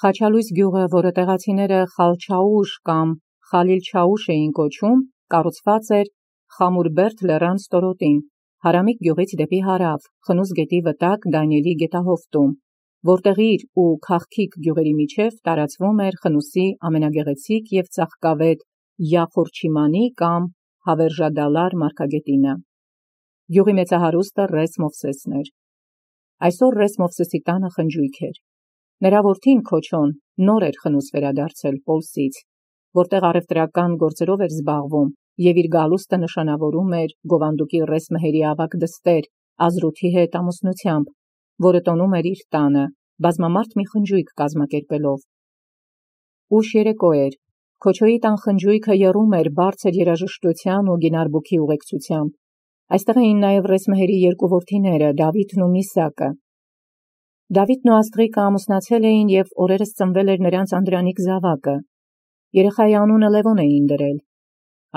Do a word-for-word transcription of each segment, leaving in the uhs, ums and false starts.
Խաչալույս գյուղը, որը տեղացիները Խալչաուշ կամ Խալիլչաուշ էին կոչում, կառուցված էր Խամուրբերդ լեռան ստորոտին, Հարամիկ գյուղից դեպի հարավ, Խնուզ գետի վտակ Դանիելի գետահովտում, որտեղ իր ու Քաղքիկ գյուղերի միջև տարածվում էր Խնուսի ամենագեղեցիկ և ծաղկավետ Յախորչիմանի կամ Հավերժադալար մարգագետինը։ Գյուղի մեծահարուստը Ռես Մովսեսն էր։ Այսօր Ռես Մովսեսի տանը խնջույք էր։ Նրա որդին Քոչոն նոր էր Խնուս վերադարձել Պոլսից, որտեղ առևտրական գործերով էր զբաղվում և իր գալուստը նշանավորում էր գովանդուկի Ռես Մհերի ավագ դստեր Ազրութի հետ ամուսնությամբ, որը տոնում էր իր տանը, բազմամարդ մի խնջույք կազմակերպելով։ Ուշ երեկո էր։ Քոչոյի տան խնջույքը եռում էր բարձր երաժշտության ու գինարբուքի ուղեկցությամբ։ Այստեղ էին նաև Ռես Մհերի երկու որդիները՝ Դավիթն ու Միսակը։ Դավիթն ու Աստղիկը ամուսնացել էին և օրերս ծնվել էր նրանց անդրանիկ զավակը։ Երեխայի անունը Լևոն էին դրել։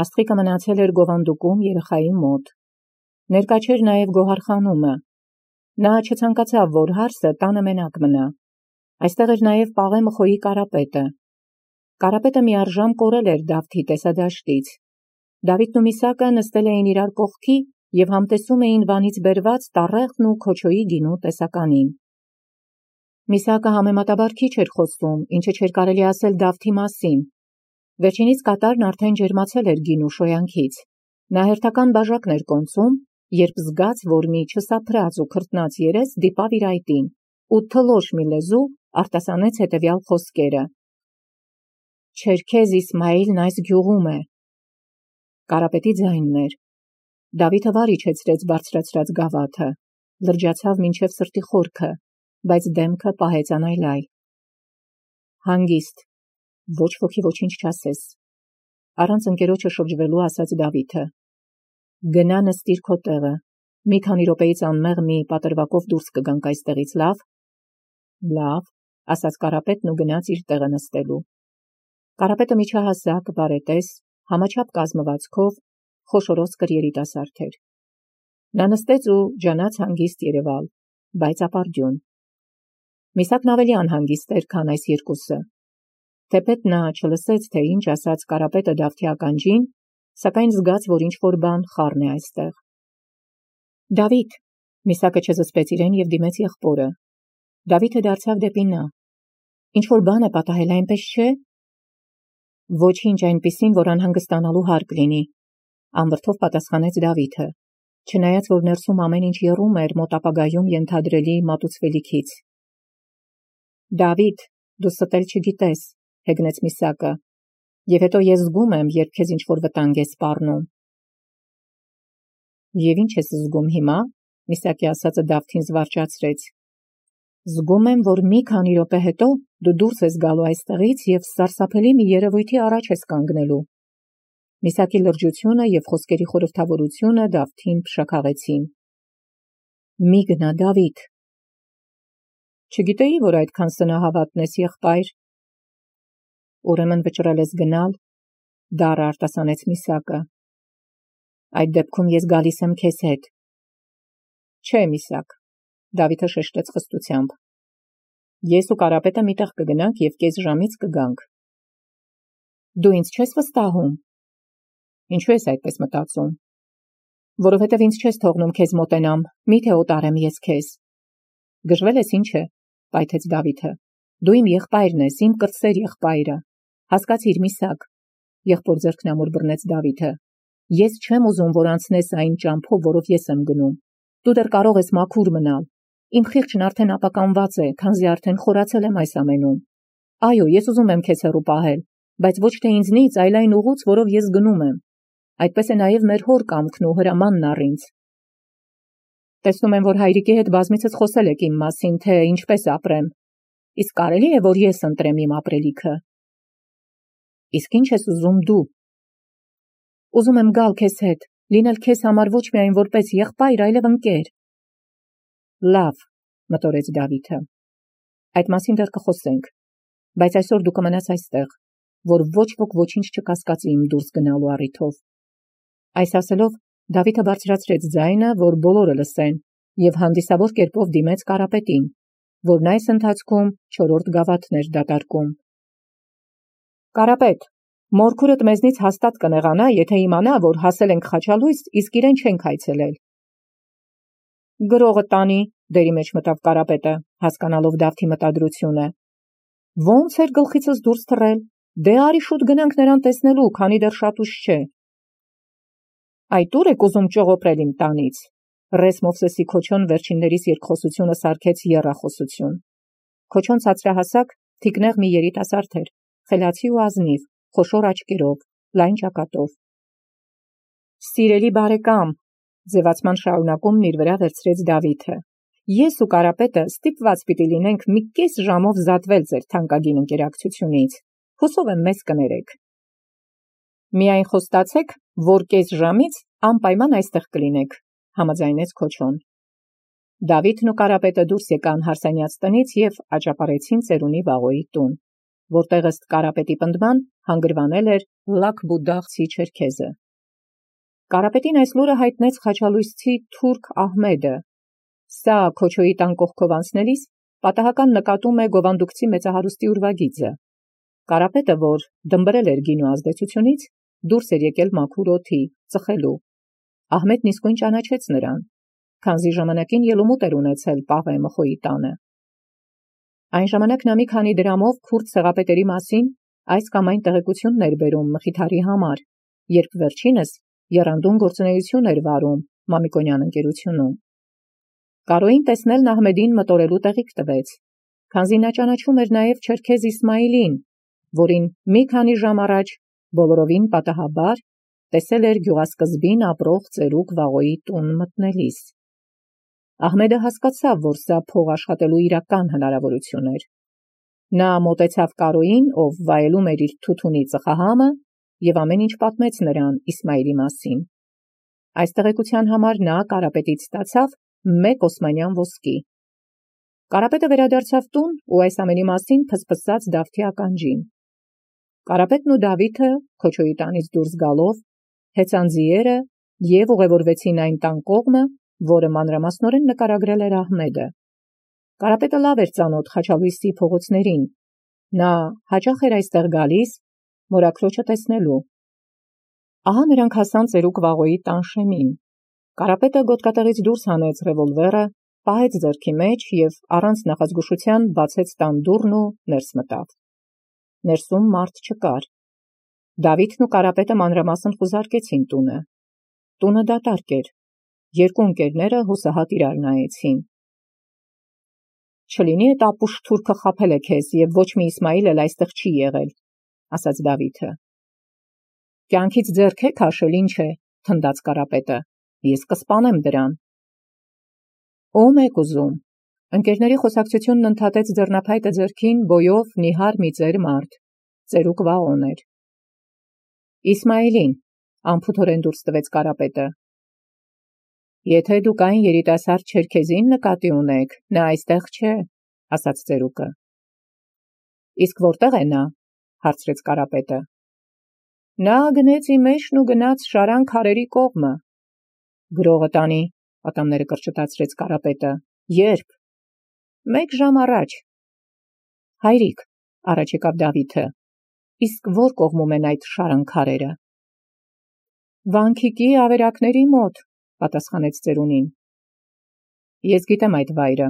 Աստղիկը մնացել էր գովանդուկում երեխայի մոտ։ Ներկա չէր նաև Գոհարխանումը։ Նա չցանկացավ, որ հարսը տանը մենակ մնա։ Այստեղ էր նաև Պաղե Մխոյի Կարապետը։ Կարապետը միառժամ կորել էր Դավթի տեսադաշտից։ Դավիթն ու Միսակը նստել էին իրար կողքի և համտեսում էին Վանից բերված տառեղն ու Քոչոյի գինու տեսականին։ Միսակը համեմատաբար քիչ էր խոսում, ինչը չէր կարելի ասել Դավթի մասին։ Վերջինիս կատարն արդեն ջերմացել էր գինու շոյանքից։ Նա հերթական բաժակն էր կոնծում, երբ զգաց, որ մի չսափրած ու քրտնած երես դիպավ իր այտին, ու թլոշ մի լեզու արտասանեց հետևյալ խոսքերը. «Չերքեզ Իսմայիլն այս գյուղում է»։ Կարապետի ձայնն էր։ Դավիթը վար իջեցրեց բարձրացրած գավաթը, լրջացավ մինչև սրտի խորքը, բայց դեմքը պահեց անայլայլ։ Հանգիստ, ոչ ոքի ոչինչ չասես, առանց ընկերոջը շրջվելու ասաց Դավիթը։ Գնա նստիր քո տեղը, մի քանի րոպեից անմեղ մի պատրվակով դուրս կգանք այստեղից, լավ։ Լավ, ասաց Կարապետն ու գնաց իր տեղը նստելու։ Կարապետը միջահասակ, բարետես, համաչափ կազմվածքով, խոշորոսկր երիտասարդ էր։ Նա նստեց ու ջանաց հանգիստ երևալ, բայց ապարդյուն։ Միսակն ավելի անհանգիստ էր, քան այս երկուսը։ Թեպետ նա չլսեց, թե ինչ ասաց Կարապետը Դավթի ականջին, սակայն զգաց, որ ինչ-որ բան խառն է այստեղ։ Դավիթ, Միսակը չզսպեց իրեն և դիմեց եղբորը։ Դավիթը դարձավ դեպի նա։ Ինչ-որ բան է պատահել, այնպես չէ։ Ոչինչ այնպիսին, որ անհանգստանալու հարկ լինի, անվրդով պատասխանեց Դավիթը, չնայած որ ներսում ամեն ինչ եռում էր մոտ ապագայում ենթադրելի մատուցվելիքից։ Դավիթ, դու ստել չգիտես, հեգնեց Միսակը, և հետո ես զգում եմ, երբ քեզ ինչ-որ վտանգ է սպառնում։ Եվ ինչ ես զգում հիմա, Միսակի ասածը Դավթին զվարճացրեց։ Զգում եմ, որ մի քանի րոպե հետո դու դուրս ես գալու այստեղից և սարսափելի մի երևույթի առաջ ես կանգնելու։ Միսակի լրջությունը և խոսքերի խորհրդավորությունը Դավթին փշաքաղեցին։ Մի գնա, Դավիթ։ Չգիտեի, որ այդքան սնահավատն ես, եղբայր։ Ուրեմն վճռել ես գնալ, դառը արտասանեց Միսակը։ Այդ դեպքում ես գալիս եմ քեզ հետ։ Չէ, Միսակ, Դավիթը շեշտեց խստությամբ։ Ես ու Կարապետը մի տեղ կգնանք և կես ժամից կգանք։ Դու ինձ չես վստահում։ Ինչու ես այդպես մտածում։ Որովհետև ինձ չես թողնում քեզ մոտենամ, միթե օտարեմ ես քեզ։ Գժվել ես, ինչ է, պայթեց Դավիթը։ Դու իմ եղբայրն ես, իմ կրտսեր եղբայրը։ Հասկացիր, Միսակ, եղբոր ձեռքն ամուր բռնեց Դավիթը։ Ես չեմ ուզում, որ անցնես այն ճամփով, որով ես եմ գնում։ Դու դեռ կարող ես մաքուր մնալ։ Իմ խիղճն արդեն ապականված է, քանզի արդեն խորացել եմ այս ամենում։ Այո, ես ուզում եմ քեզ հեռու պահել, բայց ոչ թե ինձնից, այլ այն ուղուց, որով ես գնում եմ։ Այդպես է նաև մեր հոր կամքն ու հրամանն առ ինձ։ Տեսնում եմ, որ հայրիկի հետ բազմիցս խոսել եք իմ մասին, թե ինչպես ապրեմ։ Իսկ կարելի է, որ ես ընտրեմ իմ ապրելիքը։ Իսկ ինչ ես ուզում դու։ Ուզում եմ գալ քեզ հետ, լինել քեզ համար ոչ միայն որպես եղբայր, այլև ընկեր։ Լավ, մտորեց Դավիթը։ Այդ մասին դեռ կխոսենք, բայց այսօր դու կմնաս այստեղ, որ ոչ ոք ոչինչ չկասկածի իմ դուրս գնալու առիթով։ Այս ասելով Դավիթը բարձրացրեց ձայնը, որ բոլորը լսեն, և հանդիսավոր կերպով դիմեց Կարապետին, որն այս ընթացքում չորրորդ գավաթն էր դատարկում։ Կարապետ, մորքուրդ մեզնից հաստատ կնեղանա, եթե իմանա, որ հասել ենք Խաչալույս, իսկ իրեն չենք այցելել։ Գրողը տանի, դերի մեջ մտավ Կարապետը, հասկանալով Դավթի մտադրությունը։ Ոնց էր գլխիցս դուրս թռել, դե արի շուտ գնանք նրան տեսնելու, քանի դեռ շատ ուշ չէ։ Այդ ուր եք ուզում ճողոպրել իմ տանից։ Ռես Մովսեսի Քոչոն վերջիններիս երկխոսությունը սարքեց եռախոսություն։ Քոչոն ցածրահասակ, թիկնեղ մի երիտասարդ էր, խելացի ու ազնիվ, խոշոր աչքերով, լայն ճակատով։ Սիրելի բարեկամ, ձևացման շարունակումն իր վրա վերցրեց Դավիթը։ Ես ու Կարապետը ստիպված պիտի լինենք մի կես ժամով զատվել ձեր թանկագին ընկերակցությունից։ Հուսով եմ մեզ կներեք։ Միայն խոստացեք, որ կես ժամից անպայման այստեղ կլինեք, համաձայնեց Քոչոն։ Դավիթն ու Կարապետը դուրս եկան հարսանյաց տնից և աճապարեցին ծերունի Վաղոյի տուն, որտեղ ըստ Կարապետի պնդման հանգրվանել էր Լաքբուդաղցի չերքեզը։ Կարապետին այս լուրը հայտնեց խաչալույսցի թուրք Ահմեդը։ Սա Քոչոյի տան կողքով անցնելիս պատահական նկատում է գովանդուկցի մեծահարուստի ուրվագիծը։ Կարապետը, որ դմբրել էր գինու ազդեցությունից, դուրս էր եկել մաքուր օդի, ծխելու։ Ահմեդն իսկույն ճանաչեց նրան, քանզի ժամանակին ելումուտ էր ունեցել Պաղե Մխոյի տանը։ Այն ժամանակ նա մի քանի դրամով քուրդ ցեղապետերի մասին այս կամ այն տեղեկությունն էր բերում Մխիթարի համար, երբ վերջինս եռանդուն գործունեություն էր վարում Մամիկոնյան ընկերությունում։ Կարոյին տեսնելն Ահմեդին մտորելու տեղիք տվեց, քանզի նա ճանաչում էր նաև Չերքեզ Իսմայիլին, որին մի քանի ժամ առաջ բոլորովին պատահաբար տեսել էր գյուղասկզբին ապրող ծերուկ Վաղոյի տուն մտնելիս։ Ահմեդը հասկացավ, որ սա փող աշխատելու իրական հնարավորություն էր։ Նա մոտեցավ Կարոյին, ով վայելում էր իր թութունի ծխահամը, և ամեն ինչ պատմեց նրան Իսմայիլի մասին։ Այս տեղեկության համար նա Կարապետից ստացավ մեկ օսմանյան ոսկի։ Կարապետը վերադարձավ տուն ու այս ամենի մասին փսփսաց Դավթի ականջին։ Կարապետն ու Դավիթը Քոչոյի տանից դուրս գալով հեծան ձիերը և ուղևորվեցին այն տան կողմը, որը մանրամասնորեն նկարագրել էր Ահմեդը։ Կարապետը լավ էր ծանոթ Խաչալույսի փողոցներին։ Նա հաճախ էր այստեղ գալիս մորաքրոջը տեսնելու։ Ահա նրանք հասան ծերուկ Վաղոյի տան շեմին։ Կարապետը գոտկատեղից դուրս հանեց ռևոլվերը, պահեց ձեռքի մեջ և առանց նախազգուշության բացեց տան դուռն ու ներս մտավ։ Ներսում մարդ չկար։ Դավիթն ու Կարապետը մանրամասն խուզարկեցին տունը։ Տունը դատարկ էր։ Երկու ընկերները հուսահատ իրար նայեցին։ Չլինի էդ ապուշ թուրքը խաբել է քեզ և ոչ մի Իսմայիլ էլ այստեղ չի եղել, ասաց Դավիթը։ Կյանքից ձեռք եք հաշել, ինչ է, թնդաց Կարապետը։ Ես կսպանեմ դրան։ Ո՞ւմ եք ուզում։ Ընկերների խոսակցությունն ընդհատեց ձեռնափայտը ձեռքին բոյով նիհար մի ծեր մարդ։ Ծերուկ Վաղոն էր։ Իսմայիլին, անփութորեն դուրս տվեց Կարապետը։ Եթե դուք այն երիտասարդ Չերքեզին նկատի ունեք, նա այստեղ չէ, ասաց ծերուկը։ Իսկ որտեղ է նա, հարցրեց Կարապետը։ Նա գնեց իմեջն ու գնաց Շարան քարերի կողմը։ Գրողը տանի, ատամները կրճտացրեց Կարապետը։ Երբ։ Մեկ ժամ առաջ։ Հայրիկ, առաջ եկավ Դավիթը, իսկ որ կողմում են այդ Շարան քարերը։ Վանքիկի ավերակների մոտ, պատասխանեց ծերունին։ Ես գիտեմ այդ վայրը,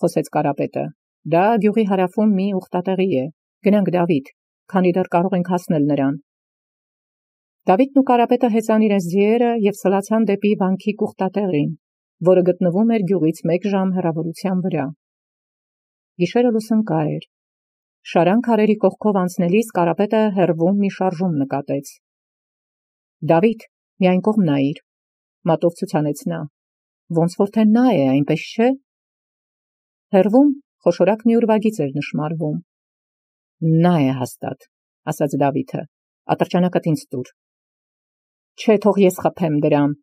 խոսեց Կարապետը։ Դա գյուղի հարավում մի ուխտատեղի է։ Գնանք Դավիթ, քանի դեռ կարող ենք հասնել նրան։ Դավիթն ու Կարապետը հեծան իրենց ձիերը և սլացան դեպի Վանքիկ ուխտատեղին, որը գտնվում էր գյուղից մեկ ժամ հեռավորության վրա։ Գիշերը լուսանկար էր։ Շարան քարերի կողքով անցնելիս Կարապետը հեռվում մի շարժում նկատեց։ Դավիթ, մի այն կողմ նայիր, մատով ցուցանեց նա։ Ոնց որ թե նա է, այնպես չէ։ Հեռվում խոշորակ մի ուրվագիծ էր նշմարվում։ Նա է հաստատ, ասաց Դավիթը, ատրճանակդ ինձ տուր։ Չէ, թող ես խփեմ դրան։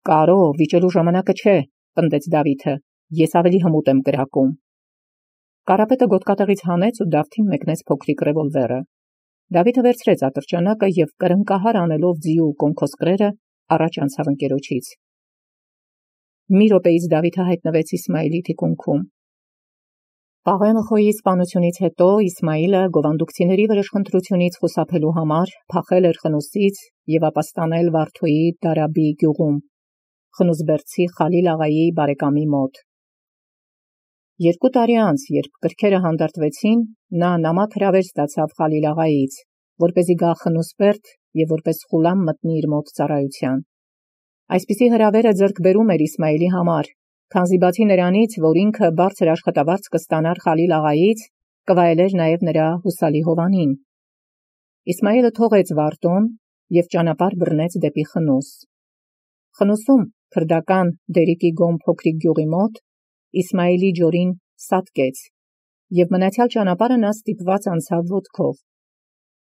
Կարո, վիճելու ժամանակը չէ, պնդեց Դավիթը, ես ավելի հմուտ եմ կրակում։ Կարապետը գոտկատեղից հանեց ու Դավթին մեկնեց փոքրիկ ռևոլվերը։ Դավիթը վերցրեց ատրճանակը և կրնկահար անելով ձիու կոնքոսկրերը առաջ անցավ ընկերոջից։ Մի րոպեից Դավիթը հայտնվեց Իսմայիլի թիկունքում։ Պաղեմխոյի սպանությունից հետո Իսմայիլը գովանդուկցիների վրեժխնդրությունից խուսափելու համար փախել էր Խնուսից և ապաստանել Վարդոյի Դարաբի գյուղում, խնուսբերդցի Խալիլ աղայի բարեկամի մոտ։ Երկու տարի անց, երբ կրքերը հանդարտվեցին, նա նամակ հրավեր ստացավ Խալիլ աղայից, որպեսզի գա Խնուսբերդ և որպես խուլամ մտնի իր մոտ ծառայության։ Այսպիսի հրավերը ձեռք բերում էր Իսմայիլի համար, քանզի բացի նրանից, որ ինքը բարձր աշխատավարձ կստանար Խալիլ աղայից, կվայելեր նաև նրա հուսալի Հովանին։ Իսմայիլը թողեց Վարդոն և ճանապարհ բռնեց դեպի Խնուս։ Խնուսում, քրդական Դերիկի Գոմ փոքրիկ գյուղի մոտ, Իսմայիլի ջորին սատկեց, և մնացյալ ճանապարհը նա ստիպված անցավ ոտքով։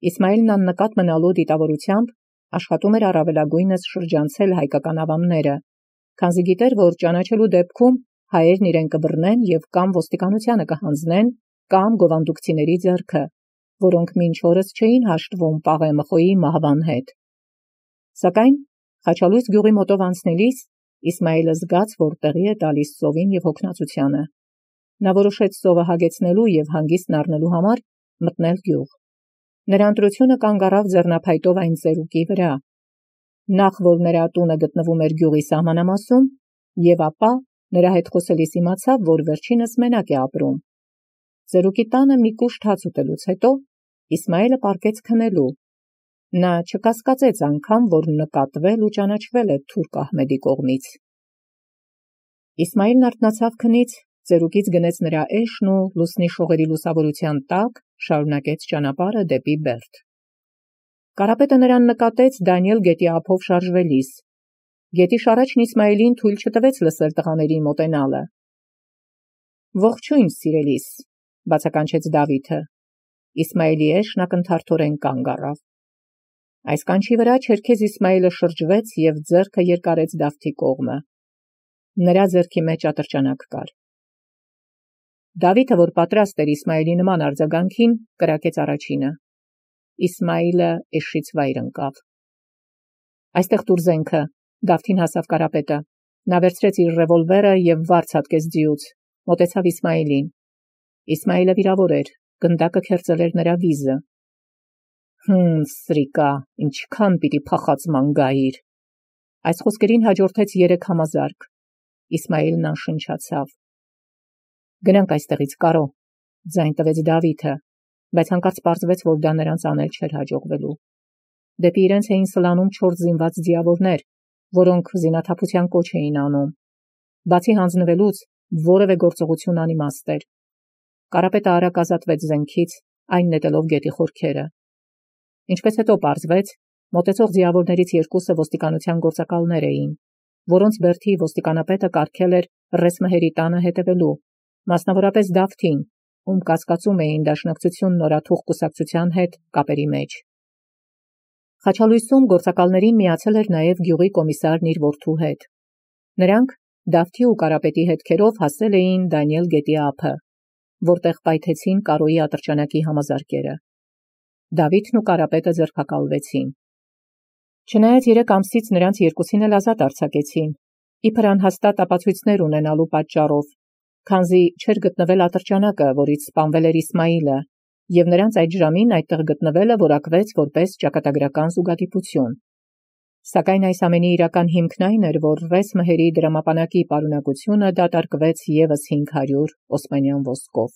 Իսմայիլն աննկատ մնալու դիտավորությամբ աշխատում էր առավելագույնս շրջանցել հայկական ավամները, քանզի գիտեր, որ ճանաչելու դեպքում հայերն իրեն կբռնեն և կամ ոստիկանությանը կհանձնեն, կամ գովանդուկցիների ձեռքը, որոնք մինչ օրս չէին հաշտվում Պաղեմխոյի մահվան հետ։ Սակայն Խաչալույս գյուղի մոտով անցնելիս Իսմայիլը զգաց, որ տեղի է տալիս սովին և հոգնածությանը։ Նա որոշեց սովը հագեցնելու և հանգիստն առնելու համար մտնել գյուղ։ Նրա ընտրությունը կանգ առավ ձեռնափայտով այն ծերուկի վրա, նախ որ նրա տունը գտնվում էր գյուղի սահմանամասում, և ապա նրա հետ խոսելիս իմացավ, որ վերջինս մենակ է ապրում։ Ծերուկի տանը մի կուշտ հաց ուտելուց հետո Իսմայիլը պառկեց քնելու։ Նա չկասկածեց անգամ, որ նկատվել ու ճանաչվել է թուրք Ահմեդի կողմից։ Իսմայիլն արթնացավ քնից, ծերուկից գնեց նրա էշն ու լուսնի շողերի լուսավորության տակ շարունակեց ճանապարհը դեպի Բերդ։ Կարապետը նրան նկատեց Դանիել գետի ափով շարժվելիս։ Գետի շառաչն Իսմայիլին թույլ չտվեց լսել տղաների մոտենալը։ «Ողջույն, սիրելիս», բացականչեց Դավիթը։ Իսմայիլի էշն ակնթարթորեն կանգ առավ։ Այս կանչի վրա չերքեզ Իսմայիլը շրջվեց և ձեռքը երկարեց Դավթի կողմը։ Նրա ձեռքի մեջ ատրճանակ կար։ Դավիթը, որ պատրաստ էր Իսմայիլի նման արձագանքին, կրակեց առաջինը։ Իսմայիլը էշից վայր ընկավ։ «Այստեղ տուր զենքը», Դավթին հասավ Կարապետը։ Նա վերցրեց իր ռևոլվերը և վարձ հատկեց ձիուց, մոտեցավ Իսմայիլին։ Իսմայիլը վիրավոր էր, գնդակը քերծել էր նրա վիզը։ «Հմ, սրիկա, ինչքան պիտի փախածման գայիր»։ Այս խոսքերին հաջորդեց երեք համազարկ։ Իսմայիլն անշնչացավ։ «Գնանք այստեղից, Կարո», ձայն տվեց Դավիթը, բայց հանկարծ պարզվեց, որ դա նրանց անել չէր հաջողվելու։ Դեպի իրենց էին սլանում չորս զինված ձիավորներ, որոնք զինաթափության կոչ էին անում։ Բացի հանձնվելուց, որևէ գործողություն անիմաստ էր։ Կարապետը արագ ազատվեց զենքից, այն նետելով գետի խորքերը։ Ինչպես հետո պարզվեց, մոտեցող ձիավորներից երկուսը ոստիկանության գործակալներ էին, որոնց բերդի ոստիկանապետը կարգել էր Ռեսմհերի տանը հետևելու, մասնավորապես Դավթին, ում կասկածում էին դաշնակցություն նորաթուխ կուսակցության հետ կապերի մեջ։ Խաչալույսում գործակալներին միացել էր նաև գյուղի կոմիսարն իր որդու հետ։ Նրանք Դավթի ու Կարապետի հետքերով հասել էին Դանիել գետի ափը, որտեղ պայթեցին Կարոյի ատրճանակի համազարկերը։ Դավիթն ու Կարապետը ձերբակալվեցին։ Չնայած երեք ամսից նրանց երկուսին էլ ազատ արձակեցին, իբր անհաստատ ապացույցներ ունենալու պատճառով, քանզի չէր գտնվել ատրճանակը, որից սպանվել էր Իսմայիլը, և նրանց այդ ժամին այդտեղ գտնվելը որակվեց որպես ճակատագրական զուգադիպություն։ Սակայն այս ամենի իրական հիմքն այն էր, որ Ռեսմհերի դրամապանակի պարունակությունը դատարկվեց ևս հինգ հարյուր օսմանյան ոսկով։